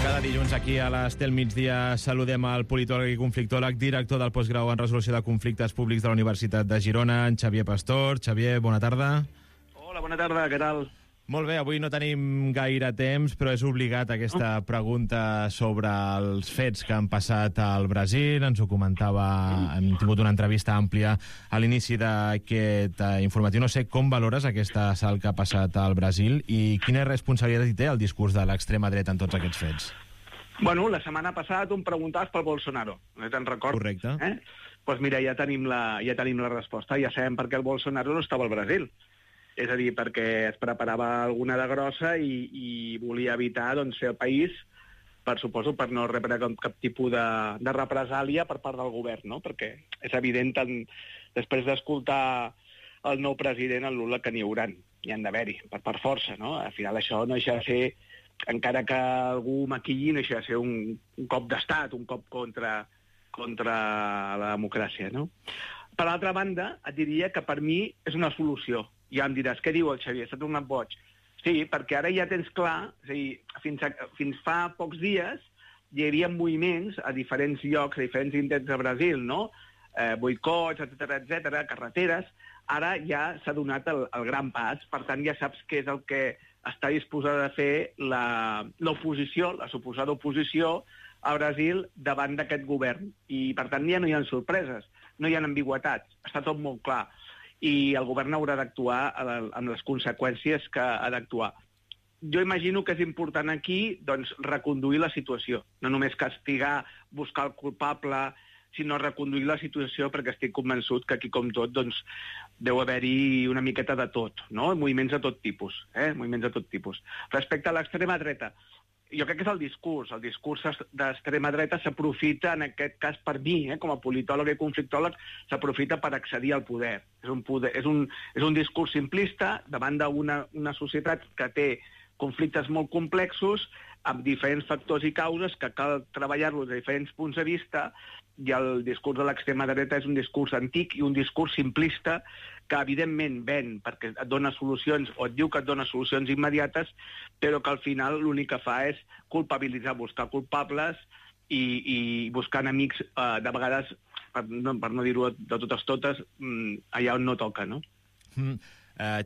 Cada dilluns aquí a l'Estel Migdia saludem al politòleg i conflictòleg, director del postgrau en resolució de conflictes públics de la Universitat de Girona, en Xavier Pastor. Xavier, bona tarda. Hola, bona tarda, què tal? Molt bé, avui no tenim gaire temps, però és obligat aquesta pregunta sobre els fets que han passat al Brasil. Ens ho comentava, hem tingut una entrevista àmplia a l'inici d'aquest informatiu. No sé com valores aquest assalt que ha passat al Brasil i quina responsabilitat hi té el discurs de l'extrema dreta en tots aquests fets. Bueno, la setmana passada tu em preguntaves pel Bolsonaro, no te'n recordes? Correcte. Doncs mira, ja tenim la resposta, ja sabem per què el Bolsonaro no estava al Brasil. És a dir, perquè es preparava alguna de grossa i volia evitar fer el país, suposo, per no rebre cap tipus de represàlia per part del govern, no? Perquè és evident, després d'escoltar el nou president, el Lula, que n'hi hauran, hi han d'haver-hi, per força, no? Al final això no deixa de ser, encara que algú maquilli, no deixa de ser un cop d'estat, un cop contra la democràcia, no? Per l'altra banda, et diria que per mi és una solució. Ja em diràs, què diu el Xavier? S'ha tornat boig. Sí, perquè ara ja tens clar, és a dir, fins fa pocs dies hi havia moviments a diferents llocs, a diferents indrets de Brasil, no? Boicots, etc, carreteres. Ara ja s'ha donat el gran pas, per tant ja saps què és el que està disposada a fer l'oposició, la suposada oposició a Brasil davant d'aquest govern. I per tant ja no hi ha sorpreses, no hi ha ambigüitats, està tot molt clar. I el govern haurà d'actuar amb les conseqüències que ha d'actuar. Jo imagino que és important aquí reconduir la situació, no només castigar, buscar el culpable, sinó reconduir la situació, perquè estic convençut que aquí, com tot, deu haver-hi una miqueta de tot, no? Moviments de tot tipus, moviments de tot tipus. Respecte a l'extrema dreta, jo crec que és el discurs d'extrema dreta s'aprofita, en aquest cas per mi, com a politòleg i conflictòleg, s'aprofita per accedir al poder. És un discurs simplista davant d'una societat que té conflictes molt complexos, amb diferents factors i causes que cal treballar-los a diferents punts de vista, i el discurs de l'extrema dreta és un discurs antic i un discurs simplista que evidentment ven perquè et dona solucions o et diu que et dona solucions immediates, però que al final l'únic que fa és culpabilitzar, buscar culpables i buscar enemics, de vegades, per no dir-ho de totes, allà on no toca, no?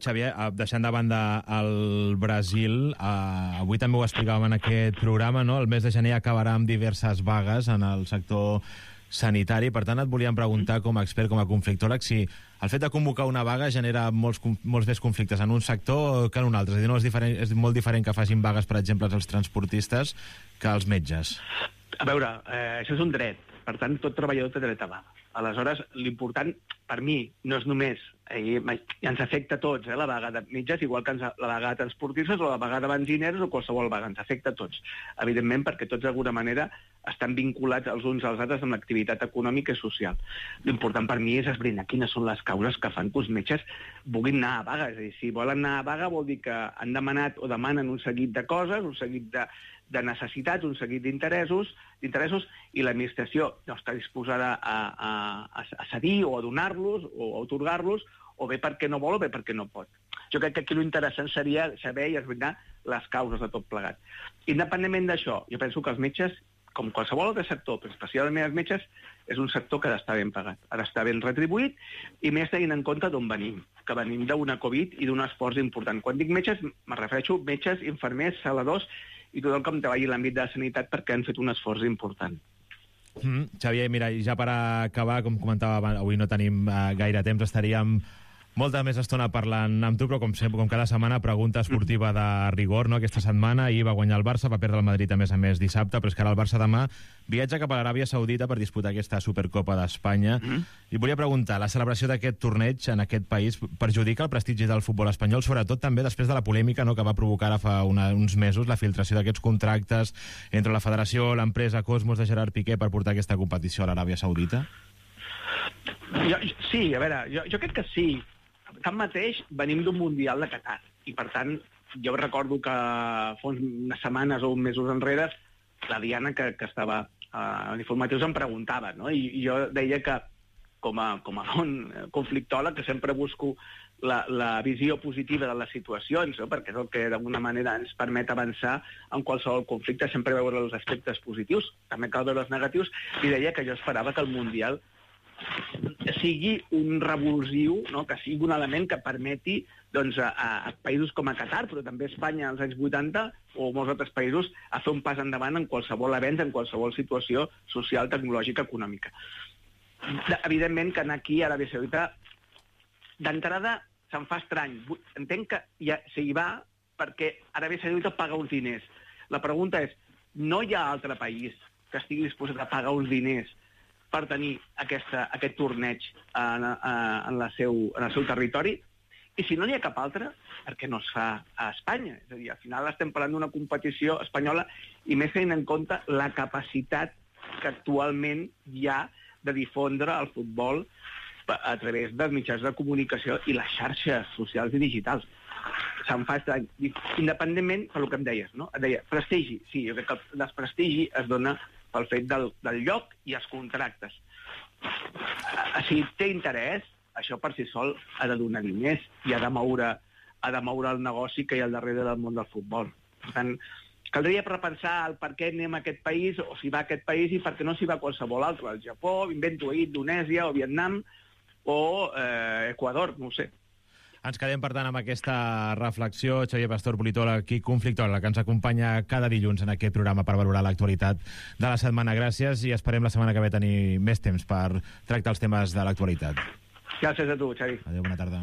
Xavier, deixant de banda el Brasil, avui també ho explicàvem en aquest programa, no? El mes de gener acabarà amb diverses vagues en el sector sanitari. Per tant, et volíem preguntar, com a expert, com a conflictòleg, si el fet de convocar una vaga genera molts més conflictes en un sector que en un altre. És a dir, no és molt diferent que facin vagues, per exemple, els transportistes que els metges. A veure, això és un dret. Per tant, tot treballador té dret a vaga. Aleshores, l'important, per mi, no és només... ens afecta a tots, la vaga de metges, igual que la vaga de transportistes o la vaga de benzineros o qualsevol vaga. Ens afecta a tots. Evidentment, perquè tots, d'alguna manera, estan vinculats els uns als altres amb l'activitat econòmica i social. L'important per mi és esbrinar quines són les causes que fan que els metges vulguin anar a vaga. És a dir, si volen anar a vaga vol dir que han demanat o demanen un seguit de coses, un seguit de necessitats, un seguit d'interessos, i l'administració no està disposada a cedir o a donar-los o a atorgar-los, o bé perquè no vol o bé perquè no pot. Jo crec que aquí l'interessant seria saber i esbrinar les causes de tot plegat. Independentment d'això, jo penso que els metges, com qualsevol altre sector, però especialment els metges, és un sector que ha d'estar ben pagat, ha d'estar ben retribuït, i més tenint en compte d'on venim, que venim d'una Covid i d'un esforç important. Quan dic metges, me refereixo a metges, infermers, saladors i tot el que em treballi en l'àmbit de la sanitat, perquè han fet un esforç important. Xavier, mira, i ja per acabar, com comentava, avui no tenim gaire temps, estaríem molta més estona parlant amb tu, però com sempre, com cada setmana, pregunta esportiva de rigor, no? Aquesta setmana ahir va guanyar el Barça, va perdre el Madrid a més dissabte, però és que ara el Barça demà viatja cap a l'Aràbia Saudita per disputar aquesta Supercopa d'Espanya. I volia preguntar, la celebració d'aquest torneig en aquest país perjudica el prestigi del futbol espanyol, sobretot també després de la polèmica, no?, que va provocar ara fa uns mesos la filtració d'aquests contractes entre la federació, l'empresa Cosmos de Gerard Piqué per portar aquesta competició a l'Aràbia Saudita? Sí, a veure, jo crec que sí. Tanmateix, venim d'un Mundial de Qatar i, per tant, jo recordo que fa unes setmanes o uns mesos enrere la Diana, que estava en informatius, em preguntava, no? I jo deia que, com a bon conflictòleg, que sempre busco la visió positiva de les situacions, no? Perquè és el que d'alguna manera ens permet avançar en qualsevol conflicte, sempre veure els aspectes positius, també cal veure els negatius, i deia que jo esperava que el Mundial sigui un revulsiu, no? Que sigui un element que permeti doncs, a països com a Qatar, però també a Espanya als anys 80 o molts altres països, a fer un pas endavant en qualsevol avenç, en qualsevol situació social, tecnològica, econòmica. Evidentment que anar aquí a l'Aràbia Saudita d'entrada se'm fa estrany. Entenc que ja s'hi va perquè Aràbia Saudita paga uns diners. La pregunta és, no hi ha altre país que estigui disposat a pagar uns diners per tenir aquest torneig en el seu territori? I si no n'hi ha cap altre, per què no es fa a Espanya? És a dir, al final estem parlant d'una competició espanyola i més tenint en compte la capacitat que actualment hi ha de difondre el futbol a través dels mitjans de comunicació i les xarxes socials i digitals. Se'n fa estrany. Independentment per el que em deies, no? Et deia, prestigi. Sí, jo crec que el desprestigi es dona pel fet del lloc i els contractes. Si té interès, això per si sol ha de donar diners i ha de moure el negoci que hi ha al darrere del món del futbol. Per tant, caldria repensar el per què anem a aquest país, o si va a aquest país i per què no s'hi va a qualsevol altre. El Japó, invento ahir, Indonèsia o Vietnam o Equador, no ho sé. Ens quedem, per tant, amb aquesta reflexió. Xavier Pastor, politòleg i conflictòleg, que ens acompanya cada dilluns en aquest programa per valorar l'actualitat de la setmana. Gràcies i esperem la setmana que ve tenir més temps per tractar els temes de l'actualitat. Gràcies a tu, Xavi. Adéu, bona tarda.